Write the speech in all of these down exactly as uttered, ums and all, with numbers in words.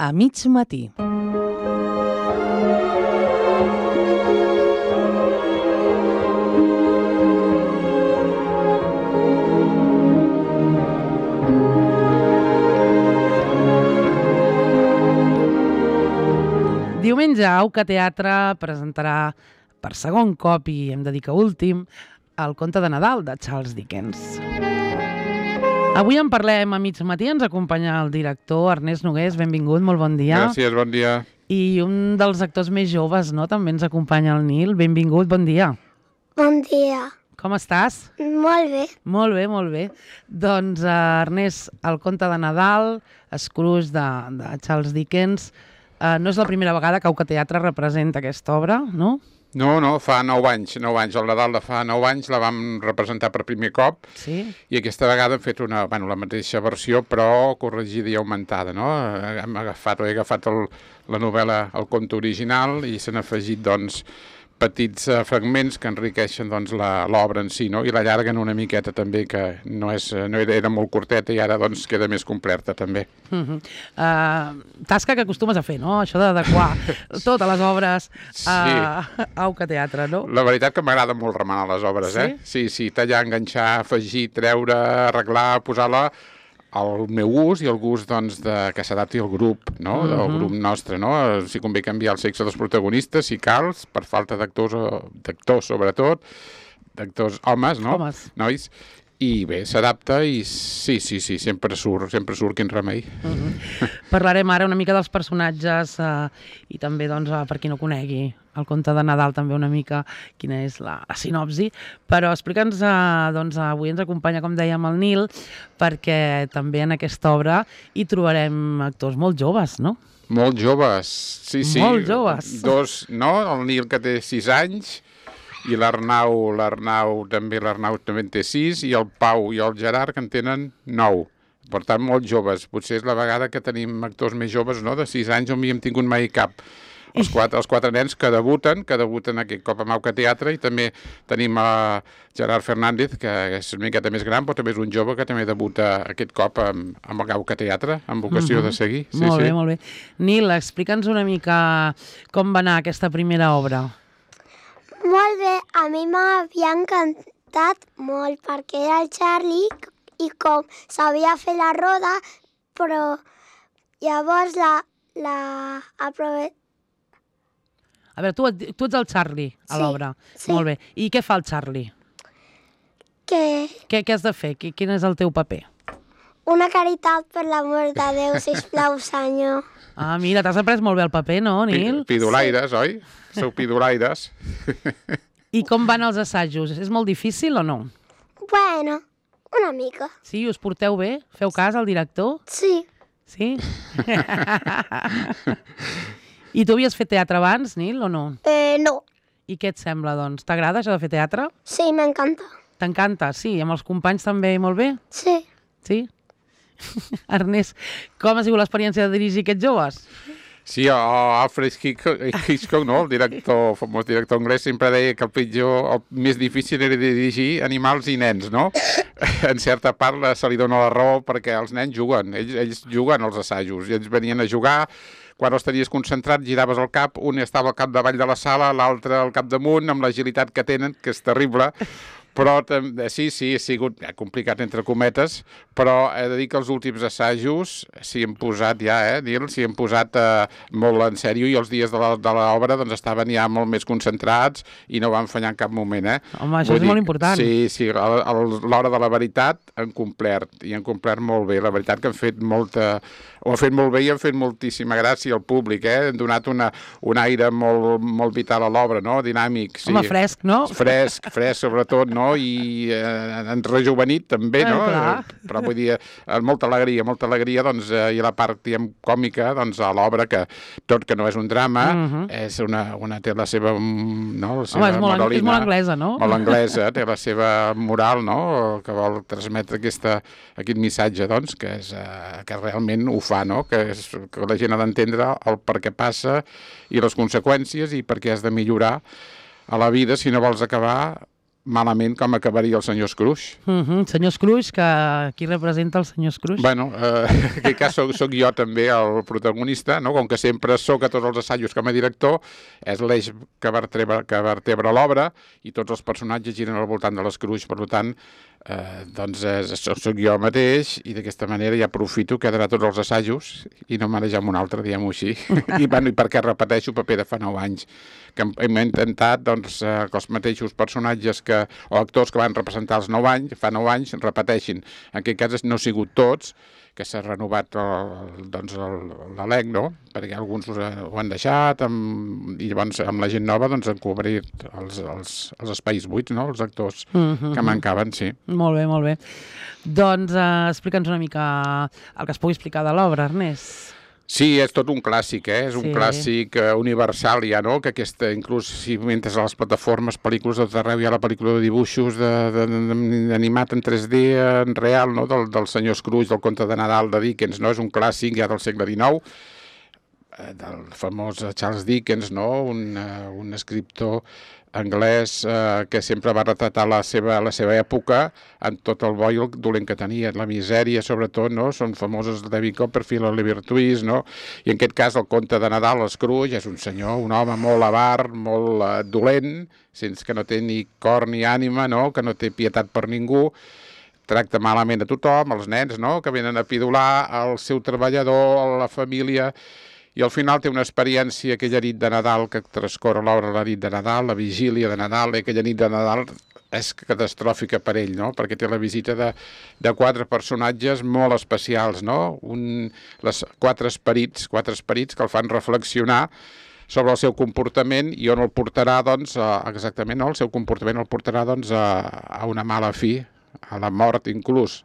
a mig matí. Diumenge, Auca Teatre presentarà per segon cop, i hem de dir que últim, el conte de Nadal de Charles Dickens. Avui en parlem a mig matí, ens acompanya el director Ernest Nogués, benvingut, molt bon dia. Gràcies, bon dia. I un dels actors més joves, no?, també ens acompanya el Nil, benvingut, bon dia. Bon dia. Com estàs? Molt bé. Molt bé, molt bé. Doncs, uh, Ernest, el conte de Nadal, Scrooge de, de Charles Dickens, uh, no és la primera vegada que Auca Teatre representa aquesta obra, no? No, no, fa nou anys, nou anys. El Nadal de fa nou anys la vam representar per primer cop. Sí. I aquesta vegada hem fet una, bueno, la mateixa versió, però corregida i augmentada, no? Hem agafat, he agafat el, la novel·la, el conte original, i s'han afegit, doncs, petits uh, fragments que enriqueixen, doncs, l'obra en si, no? I l'allarguen una miqueta també, que no, és, no era, era molt curteta i ara, doncs, queda més completa també. Uh -huh. uh, tasca que acostumes a fer, no? Això d'adequar totes les obres a sí. Auca Teatre, no? La veritat que m'agrada molt remenar les obres, sí? eh? Sí, sí, tallar, enganxar, afegir, treure, arreglar, posar-la al meu gust i el gust, doncs, de, que s'adapti al grup, no? Del uh-huh. grup nostre, no? Si convé canviar el sexe dels protagonistes, si cal, per falta d'actors, d'actors sobretot, d'actors homes, no? Homes. Nois. I bé, s'adapta i sí, sí, sí, sempre surt, sempre surt, quin remei. Uh-huh. Parlarem ara una mica dels personatges uh, i també, doncs, uh, per qui no conegui el conte de Nadal, també una mica quina és la, la sinopsi, però explica'ns, uh, doncs, avui ens acompanya, com dèiem, el Nil, perquè també en aquesta obra hi trobarem actors molt joves, no? Molt joves, sí, sí. Molt joves. Dos, no? El Nil, que té sis anys, i l'Arnau, l'Arnau també, l'Arnau també en té sis, i el Pau i el Gerard, que en tenen nou. Per tant, molt joves. Potser és la vegada que tenim actors més joves, no?, de sis anys, on no hi hem tingut mai cap. Els quatre, els quatre nens que debuten, que debuten aquest cop amb Auca Teatre, i també tenim a Gerard Fernández, que és una miqueta més gran, però també és un jove que també debuta aquest cop amb, amb el Auca Teatre, amb vocació uh-huh. de seguir. Sí, molt sí. bé, molt bé. Nil, explica'ns una mica com va anar aquesta primera obra. Molt bé, a mi m'havia encantat molt perquè era el Charlie i com sabia fer la roda, però llavors la... la aprove... A veure, tu, tu ets el Charlie a sí, l'obra. Sí. Molt bé. I què fa el Charlie? Que... Què, què has de fer? Quin és el teu paper? Una caritat, per l'amor de Déu, sisplau, senyor. Ah, mira, t'has après molt bé el paper, no, Nil? Pidolaires, sí. Oi? Sou pidolaires. I com van els assajos? És molt difícil o no? Bueno, una mica. Sí, us porteu bé? Feu cas al director? Sí. Sí? I tu havies fet teatre abans, Nil, o no? Eh, no. I què et sembla, doncs? T'agrada això de fer teatre? Sí, m'encanta. T'encanta? Sí, amb els companys també molt bé? Sí. Sí? Ernest, com ha sigut l'experiència de dirigir aquests joves? Sí, Alfred Hitchcock, no? El director, famós director anglès, sempre deia que el pitjor, el més difícil era dirigir animals i nens, no? En certa part se li dona la raó perquè els nens juguen, ells, ells juguen als assajos, i ells venien a jugar, quan els tenies concentrats giraves el cap, un estava al capdavall de la sala, l'altre al capdamunt, amb l'agilitat que tenen, que és terrible, però sí, sí, ha sigut complicat entre cometes, però he de dir que els últims assajos s'hi hem posat ja, eh, Nil, s'hi hem posat eh, molt en sèrio, i els dies de l'obra doncs, estaven ja molt més concentrats i no van fallar en cap moment, eh? Home, això Vull és dir, molt important. Sí, sí, a l'hora de la veritat han complert, i han complert molt bé. La veritat que han fet molta... ho han fet molt bé i han fet moltíssima gràcia al públic, eh? Han donat una, un aire molt, molt vital a l'obra, no? Dinàmic, sí. Home, fresc, no? Fresc, fresc, sobretot, no? I eh, han rejuvenit, també, no? Eh, Però vull dir, molta alegria, molta alegria, doncs, eh, i la part, diguem, còmica, doncs, a l'obra, que tot que no és un drama, uh-huh. és una, una, té la seva, no? La seva Home, és molt, moralina, és molt anglesa, no? Molt anglesa, té la seva moral, no? Que vol transmetre aquesta, aquest missatge, doncs, que, és, eh, que realment ho fa, no? Que, és, que la gent ha d'entendre el per què passa i les conseqüències i per què has de millorar a la vida si no vols acabar malament com acabaria el senyor Scrooge. Uh -huh. Senyor Scrooge, que qui representa el senyor Scrooge? Bueno, eh, en aquest cas soc, soc jo també el protagonista, no? Com que sempre sóc a tots els assajos com a director, és l'eix que vertebra, que vertebra l'obra i tots els personatges giren al voltant de l'Scrooge, per tant, eh, doncs és, soc jo mateix i d'aquesta manera ja aprofito que he d'anar a tots els assajos i no marejar amb un altre, diguem-ho així. I, bueno, I perquè repeteixo paper de fa nou anys, que hem, hem intentat doncs, eh, que els mateixos personatges que, o actors que van representar els nou anys, fa nou anys, repeteixin. En aquest cas no ha sigut tots, que s'ha renovat el, doncs l'elenc, no? Perquè alguns ho han deixat amb, i llavors amb la gent nova doncs, han cobrit els, els, els espais buits, no? Els actors uh -huh. que mancaven, sí. Molt bé, molt bé. Doncs eh, explica'ns una mica el que es pugui explicar de l'obra, Ernest. Sí, és tot un clàssic, eh? És un sí. clàssic uh, universal ja, no? Que aquesta, inclús si entres a les plataformes, pel·lícules de tot arreu, hi ha la pel·lícula de dibuixos de, de, de, animat en tres D, en real, no? Del, del senyor Scrooge, del conte de Nadal de Dickens, no? És un clàssic ja del segle dinou, eh, del famós Charles Dickens, no? Un, uh, un escriptor anglès eh, que sempre va retratar la seva, la seva època en tot el bo i el dolent que tenia, la misèria sobretot, no? Són famosos David Copperfield, Oliver Twist, no? I en aquest cas el conte de Nadal, l'Scrooge, és un senyor, un home molt avar, molt eh, dolent, sense que no té ni cor ni ànima, no? Que no té pietat per ningú, tracta malament a tothom, els nens, no? Que venen a pidolar, el seu treballador, la família, i al final té una experiència, aquella nit de Nadal que transcorre l'obra, la nit de Nadal, la vigília de Nadal, i aquella nit de Nadal és catastròfica per ell, no? Perquè té la visita de, de quatre personatges molt especials, no? Un, les quatre esperits, quatre esperits que el fan reflexionar sobre el seu comportament i on el portarà, doncs, a, exactament, no? El seu comportament el portarà, doncs, a, a una mala fi, a la mort inclús.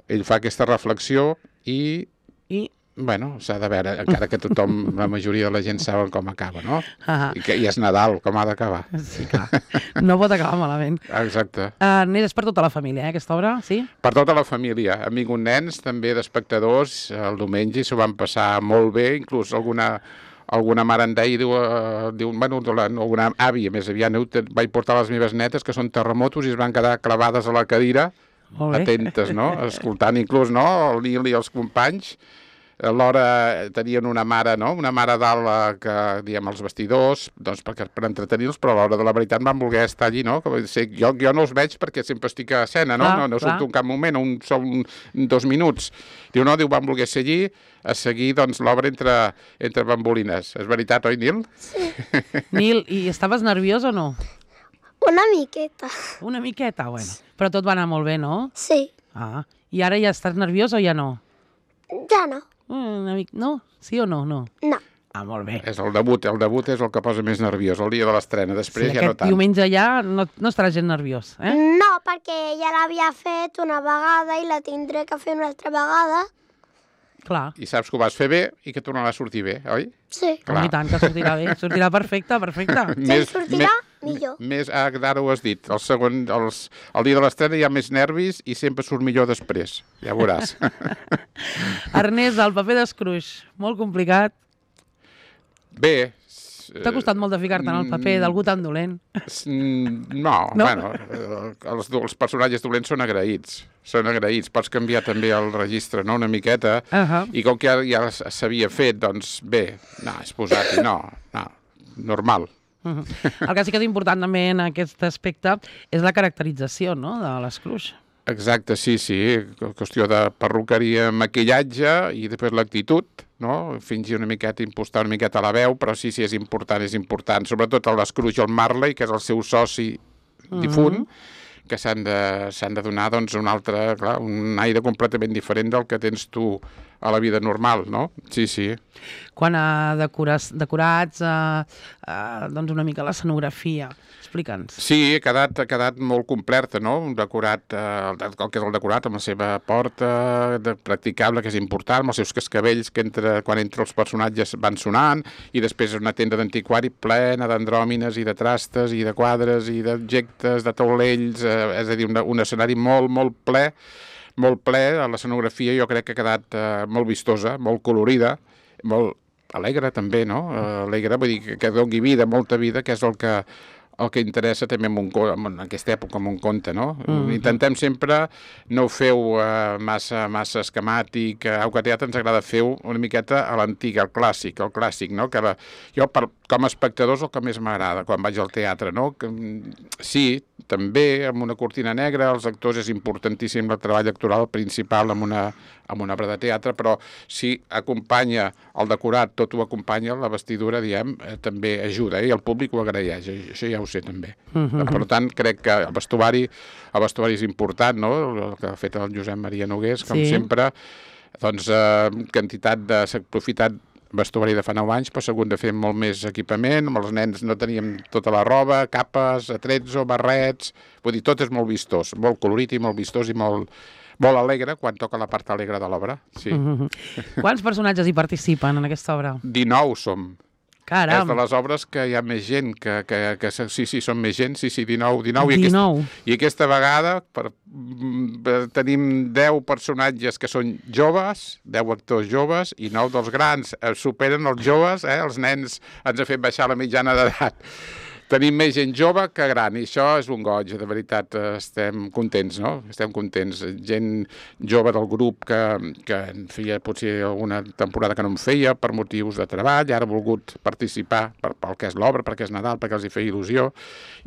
Ell fa aquesta reflexió i... I... Bueno, s'ha de veure, encara que tothom, la majoria de la gent saben com acaba, no? Ah. I, que, I és Nadal, com ha d'acabar. Sí, clar. No pot acabar malament. Exacte. Uh, és per tota la família, eh, aquesta obra, sí? Per tota la família. Han vingut nens, també d'espectadors, el diumenge, i s'ho van passar molt bé, inclús alguna... alguna mare en deia, diu, uh, diu bueno, alguna àvia més aviat, vaig portar les meves netes, que són terremotos, i es van quedar clavades a la cadira, atentes, no? Escoltant inclús, no?, el Nil i els companys. Alhora tenien una mare, no?, una mare dalt que, diguem, els vestidors, doncs perquè, per entretenir-los, però a l'hora de la veritat van voler estar allí, no? Que ser, jo, jo no els veig perquè sempre estic a escena, no? Clar, no no surto clar. en cap moment, un, són dos minuts. Diu, no, diu, van voler ser allí, a seguir, doncs, l'obra entre, entre bambolines. És veritat, oi, Nil? Sí. Nil, i estaves nerviós o no? Una miqueta. Una miqueta, bueno. Però tot va anar molt bé, no? Sí. Ah, i ara ja estàs nerviós o ja no? Ja no. Una mica... No? Sí o no? No. No. Ah, molt bé. És el debut, el debut és el que posa més nerviós, el dia de l'estrena, després sí, ja no aquest tant. diumenge ja no, no estarà gent nerviós, eh? No, perquè ja l'havia fet una vegada i la tindré que fer una altra vegada. Clar. I saps que ho vas fer bé i que tornarà a sortir bé, oi? Sí. Clar. I tant, que sortirà bé. Sortirà perfecte, perfecte. Si em sortirà, millor. Més, ah, ara ho has dit. El, segon, els, el dia de l'estrena hi ha més nervis i sempre surt millor després. Ja veuràs. Ernest, el paper d'Scrooge, molt complicat. Bé. T'ha costat molt de ficar-te en el paper d'algú tan dolent? No, no? Bueno, els, els personatges dolents són agraïts. Són agraïts. Pots canviar també el registre, no?, una miqueta. Uh -huh. I com que ja, ja s'havia fet, doncs bé, no, és posat-hi, no, no, normal. Uh -huh. El que sí que és important també en aquest aspecte és la caracterització, no?, de l'Scrooge. Exacte, sí, sí. Qüestió de perruqueria, maquillatge i després l'actitud, no? Fingir una miqueta, impostar una miqueta la veu, però sí, sí, és important, és important. Sobretot el l'Scrooge, el Marley, que és el seu soci difunt, uh -huh. que s'han de, s'han de donar, doncs, un altre, clar, un aire completament diferent del que tens tu a la vida normal, no? Sí, sí. Quan a decorats, decorats a, a, doncs una mica l'escenografia, explica'ns. Sí, ha quedat, ha quedat molt completa, no? Un decorat, eh, el que és el decorat, amb la seva porta de, practicable, que és important, amb els seus cascavells que entre, quan entre els personatges van sonant, i després una tenda d'antiquari plena d'andròmines i de trastes i de quadres i d'objectes, de taulells, eh, és a dir, un, un escenari molt, molt ple, molt ple. L'escenografia jo crec que ha quedat eh, molt vistosa, molt colorida, molt alegre també, no? Uh, alegre, vull dir que, que doni vida, molta vida, que és el que, el que interessa també en, un, en aquesta època, en un conte, no? Mm-hmm. Intentem sempre, no ho feu uh, massa, massa esquemàtic, uh, au que teatre ens agrada fer-ho una miqueta a l'antic, el clàssic, el clàssic, no? Que la, jo, per, com a espectador, és el que més m'agrada quan vaig al teatre, no? Que, sí, també, amb una cortina negra, els actors és importantíssim el treball actoral principal amb una, amb una obra de teatre, però si acompanya el decorat, tot ho acompanya, la vestidura, diem, eh, també ajuda, eh? I el públic ho agraeix, això ja ho sé també. Mm-hmm. Per tant, crec que el vestuari, el vestuari és important, no? El que ha fet el Josep Maria Nogués, com sí. sempre, doncs, eh, quantitat de... s'ha aprofitat vestuari de fa nou anys, però s'ha hagut de fer molt més equipament, amb els nens no teníem tota la roba, capes, atrezzo, barrets, vull dir, tot és molt vistós, molt colorit i molt vistós i molt, molt alegre quan toca la part alegre de l'obra, sí. Mm-hmm. Quants personatges hi participen en aquesta obra? dinou som. Caram. És de les obres que hi ha més gent, que, que, que sí, sí, són més gent, sí, sí, dinou, dinou. I dinou. Aquesta, i aquesta vegada per, per, tenim deu personatges que són joves, deu actors joves, i nou dels grans eh, superen els joves, eh, els nens ens ha fet baixar la mitjana d'edat. Tenim més gent jove que gran, i això és un goig, de veritat, estem contents, no? Estem contents. Gent jove del grup que, que feia potser alguna temporada que no en feia per motius de treball, ara ha volgut participar per, pel que és l'obra, perquè és Nadal, perquè els hi feia il·lusió,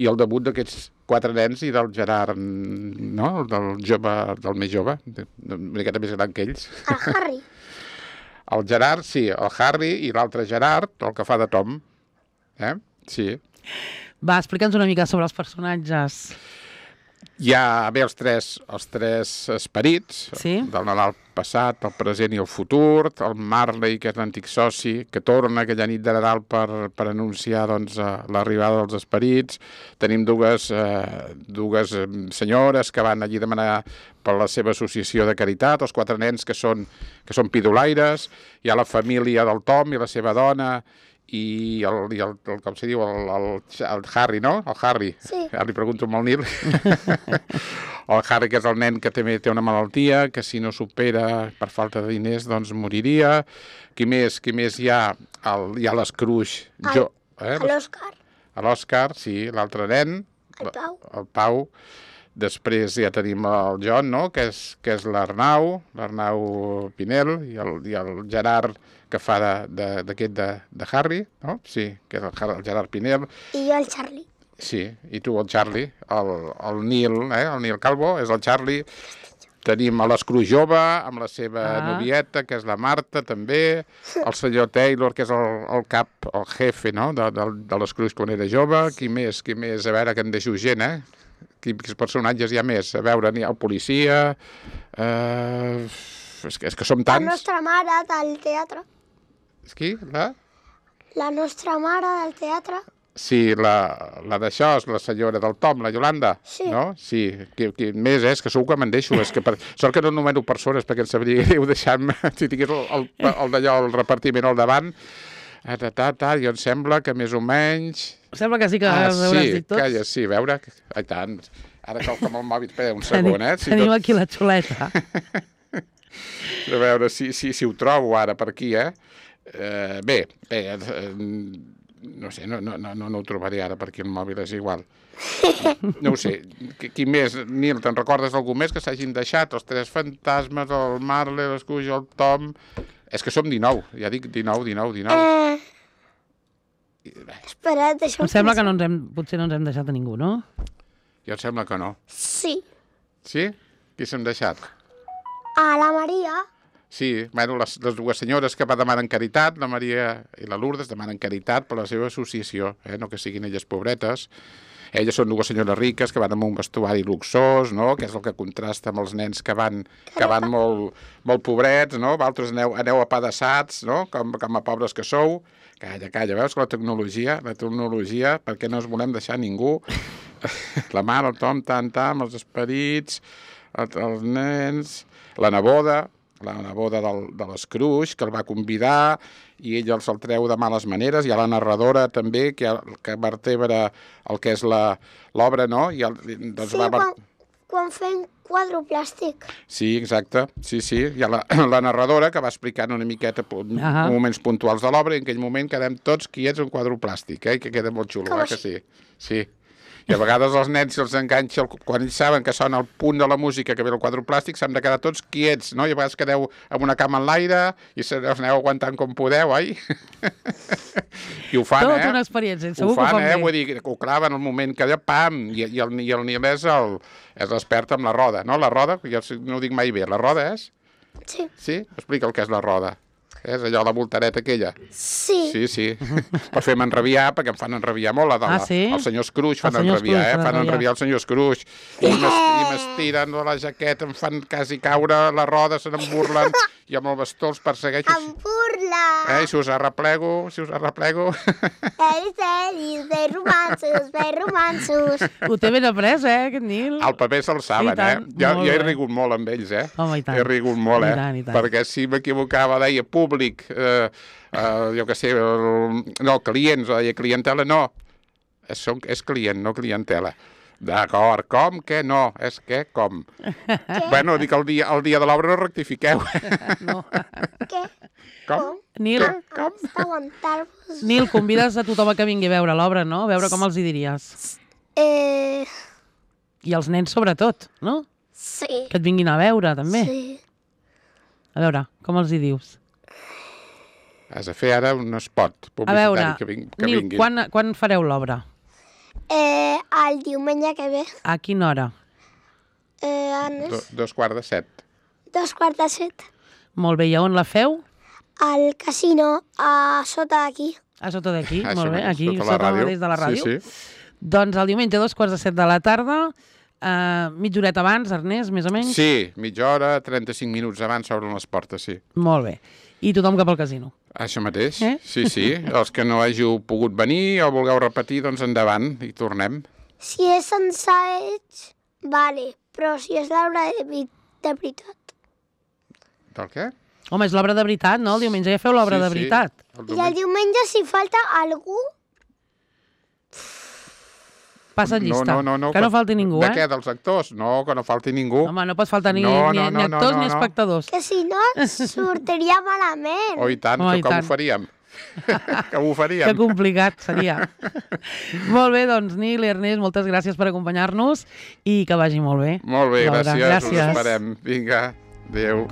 i el debut d'aquests quatre nens i del Gerard, no? Del jove, del més jove, una miqueta més gran que ells. El Harry. El Gerard, sí, el Harry, i l'altre Gerard, el que fa de Tom. Eh? Sí. Va, explica'ns una mica sobre els personatges. Hi ha bé els tres, els tres esperits, sí? Del Nadal passat, el present i el futur, el Marley, que és l'antic soci, que torna aquella nit de Nadal per, per anunciar doncs, l'arribada dels esperits. Tenim dues, eh, dues senyores que van allí demanar per la seva associació de caritat, els quatre nens que són, que són pidolaires, hi ha la família del Tom i la seva dona, i el, i el, el com se diu, el, el, el Harry, no? El Harry. Sí. Ara li pregunto amb el Nil. El Harry, que és el nen que també té una malaltia, que si no supera per falta de diners, doncs moriria. Qui més? Qui més hi ha? El, hi ha l'Escrooge. Jo, eh? L'Òscar. L'Òscar, sí, l'altre nen. El Pau. El Pau. Després ja tenim el John, no? Que és, que és l'Arnau, l'Arnau Pinel, i el, i el Gerard, que fa d'aquest de, de, de, de Harry, no? Sí, que és el, el Gerard Pinel. I jo el Charlie. Sí, i tu el Charlie, el, el Nil, eh? El Nil Calvo, és el Charlie. Tenim l'Escrús jove, amb la seva ah. novieta, que és la Marta, també. El senyor Taylor, que és el, el cap, el jefe, no? De, de, de l'Escrús quan era jove. Qui més? Qui més? A veure, que en deixo gent, eh? Quins personatges hi ha més? A veure, n'hi ha el policia... Eh... És, que, és que som tants... La nostra mare del teatre. És qui? La? La nostra mare del teatre. Sí, la, la d'això és la senyora del Tom, la Iolanda. Sí. No? Sí. Qui, qui més és? Que segur que me'n deixo. És que per... Sort que no numero persones, perquè em sabria greu deixar-me... Si tingués el, el, el d'allò, el repartiment al davant... Ah, ta, ta, ta, jo em sembla que més o menys... Sembla que sí que ah, els hauràs sí, dit tots. Calla, sí, a veure... Ai, tant. Ara cal com el mòbil... Espera un segon, eh? Si Tenim tot... aquí la xuleta. A veure si, si, si ho trobo ara per aquí, eh? eh bé, bé, eh, no sé, no, no, no, no ho trobaré ara per aquí el mòbil, és igual. No ho sé. Qui, qui més? Nil, te'n recordes algú més que s'hagin deixat? Els tres fantasmes, el Marley, l'Escuix, el Tom... És que som dinou, ja dic dinou, dinou, dinou. Eh... Espera, deixa'm... Em sembla que no ens hem, potser no ens hem deixat a ningú, no? Jo em sembla que no. Sí. Sí? Qui s'hem deixat? A la Maria. Sí, bueno, les, les dues senyores que va demanar caritat, la Maria i la Lourdes, demanen caritat per la seva associació, eh? No que siguin elles pobretes. Elles són dues senyores riques que van amb un vestuari luxós, no? Que és el que contrasta amb els nens que van, que van molt, molt pobrets, no? Vosaltres aneu, aneu apedaçats, no? Com, com a pobres que sou. Calla, calla, veus que la tecnologia, la tecnologia, per què no us volem deixar ningú? La mare, el Tom, tant, tant, els esperits, els, els nens, la neboda, la neboda del, de l'Escrúix, que el va convidar i ell se'l treu de males maneres. Hi ha la narradora també, que, que vertebra el que és l'obra, no? I el, doncs sí, va... quan, quan fem quadre plàstic. Sí, exacte. Sí, sí. Hi ha la, la narradora que va explicant una miqueta ah. moments puntuals de l'obra i en aquell moment quedem tots quiets en quadre plàstic, eh? Que queda molt xulo, eh? Que sí. Sí. I a vegades els nens se'ls enganxa, el, quan ells saben que sona el punt de la música que ve el quadre plàstic, s'han de quedar tots quiets, no? I a vegades quedeu amb una cama en l'aire i se us aneu aguantant com podeu, oi? I ho fan, Tot eh? una experiència, Ho segur que ho fan, fan eh? bé. Vull dir, ho claven al moment que allò, pam, i, i el, i el niemès el, és l'expert amb la roda, no? La roda, jo no ho dic mai bé, la roda és? Sí. Sí? Explica el que és la roda. És allò, la voltareta aquella. Sí. Sí, sí. Per fer-me enrabiar, perquè em fan enrabiar molt. La de la, Ah, sí? El senyor Scrooge fan El senyor enrabiar, Scrooge eh? fan Fan enrabiar. enrabiar el senyor Scrooge. I m'es- i m'estiren de la jaqueta, em fan quasi caure la roda, se n'en burlen, i amb el bastó els persegueixo. Em burla. Eh? I si us arreplego, si us arreplego... Elis, elis, de romansos, de romansos. Ho té ben après, eh, aquest Nil? El paper se'l saben, I tant, eh? Jo, molt jo he bé. rigut molt amb ells, eh? Home, i tant. He rigut molt, I eh? tant, i tant. Perquè si m'equivocava, deia públic, eh, eh, jo què sé, el, no, clients, o deia clientela, no. És, són, és client, no clientela. D'acord, com que no? És que com? Bueno, dic el dia, el dia de l'obra no rectifiqueu. No. Què? Com? Nil, Com? Aguantar-vos. Nil, convides a tothom a que vingui a veure l'obra, no? A veure com els hi diries. Eh, I els nens sobretot, no? sí. Que et vinguin a veure, també. Sí. A veure, com els hi dius? Has de fer ara un spot A veure, publicitari que, ving, que Nil, vinguin. quan, quan fareu l'obra? Eh, el diumenge que ve. A quina hora? Eh, a Do, les dos quarts de set. dos quarts de set. Molt bé, i a on la feu? Al casino, a sota d'aquí. A sota d'aquí, Això molt bé, mateix, aquí, sota la sota ràdio. mateix de la ràdio. Sí, sí. Doncs el diumenge a dos quarts de set de la tarda, eh, mitja horeta abans, Ernest, més o menys? Sí, mitja hora, trenta-cinc minuts abans s'obren les portes, sí. Molt bé. I tothom cap al casino. Això mateix, Eh? sí, sí. Els que no hàgiu pogut venir o vulgueu repetir, doncs endavant i tornem. Si és ensaig, vale, però si és l'obra de, vi- de veritat. Del què? Home, és l'obra de veritat, no? El diumenge ja feu l'obra Sí, de sí. veritat. El I el diumenge- diumenge, si falta algú, Passa No, llista. no, no, no, que no falti ningú, de eh? què, dels actors? No, que no falti ningú. Home, no pot faltar ni, No, ni, no, ni no, no, actors no, ni no. espectadors. que si no sortiria malament. Oh, i tant, Home, que i com tant. ho faríem? que ho Que faríem? complicat seria. Molt bé, doncs, Nil i Ernest, moltes gràcies per acompanyar-nos i que vagi molt bé. Molt bé, L'obra. gràcies, us Gràcies. esperem. Vinga, adéu.